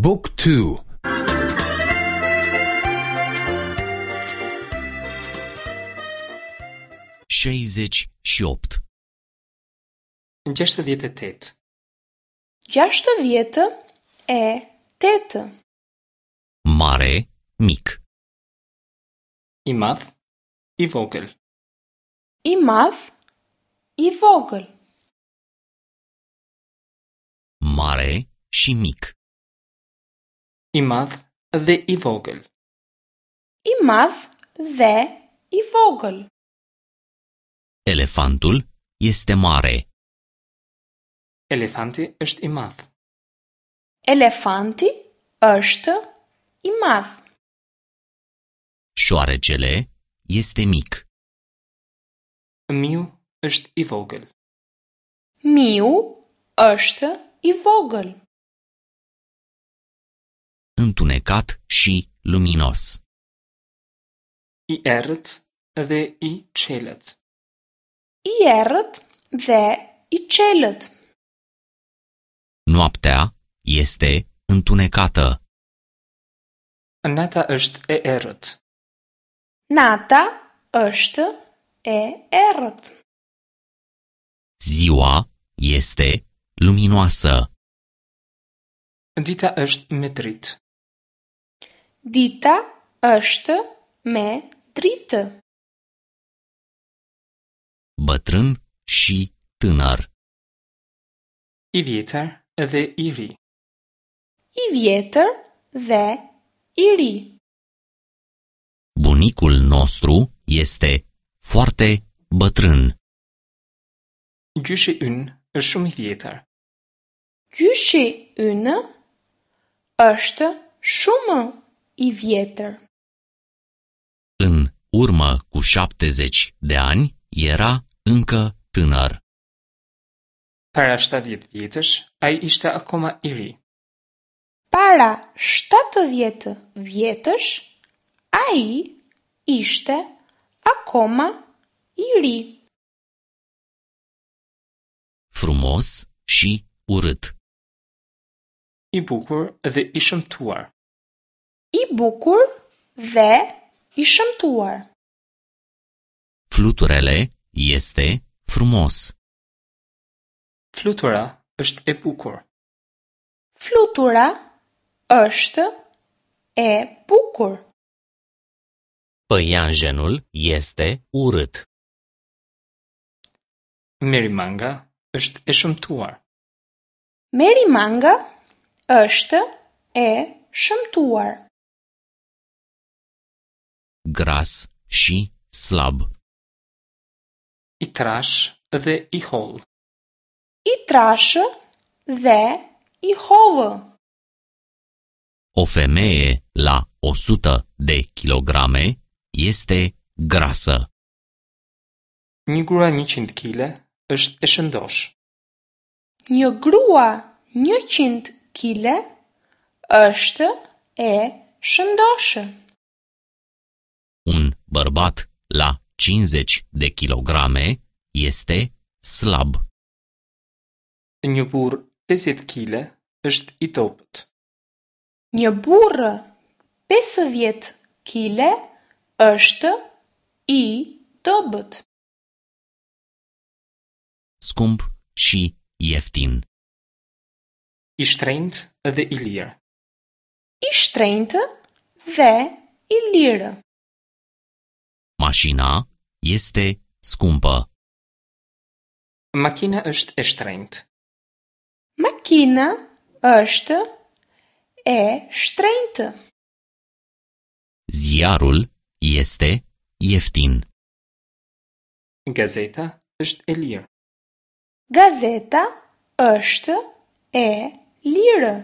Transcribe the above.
บุ๊กทู 68. 68. 68. Mare, mic. I madh, i vogël. I madh, i vogël. Mare și mic. I madh dhe i vogël. I madh dhe i vogël. Elefantul este mare. Elefanti është i madh. Elefanti është i madh. Șoarecele este mic. Miu është i vogël. Miu është i vogël. Întunecat și luminos. I errët dhe i çelët. I errët dhe i çelët. Noaptea este întunecată. Nata është e errët. Nata është e errët. Ziua este luminoasă. Dita është me dritë. Dita është me dritë. Bătrân și tânăr. I vjetër dhe i ri. I vjetër dhe i ri. Bunicul nostru este foarte bătrân. Gjyshi ynë është shumë i vjetër. Gjyshi ynë është shumë i vjetër. În urmă cu 70 de ani era încă tânăr. Para 70 vjetësh, ai ishte akoma i ri. Para 70 vjetësh, ai ishte akoma i ri. Frumos și urât. I bukur dhe i shëmtuar. I bukur dhe i shëmtuar. Fluturele este frumos. Flutura është e bukur. Flutura është e bukur. Păianjenul este urât. Merimanga është e shëmtuar. Merimanga është e shëmtuar. Gras și slab. I trashë dhe i hollë. I trashë dhe i hollë. O femeie la 100 de kilograme este grasă. Një grua 100 kile është e shëndoshë. Një grua 100 kile është e shëndoshë. Un bărbat la 50 de kilograme este slab. Një burrë 50 kile është i dobët. Një burrë 50 kile është i dobët. Scump și ieftin. I shtrenjtë dhe i lirë. I shtrenjtë dhe i lirë. Mașina este scumpă. Makina është e shtrenjtë. Makina është e shtrenjtë. Ziarul este ieftin. Gazeta është e lirë. Gazeta është e lirë.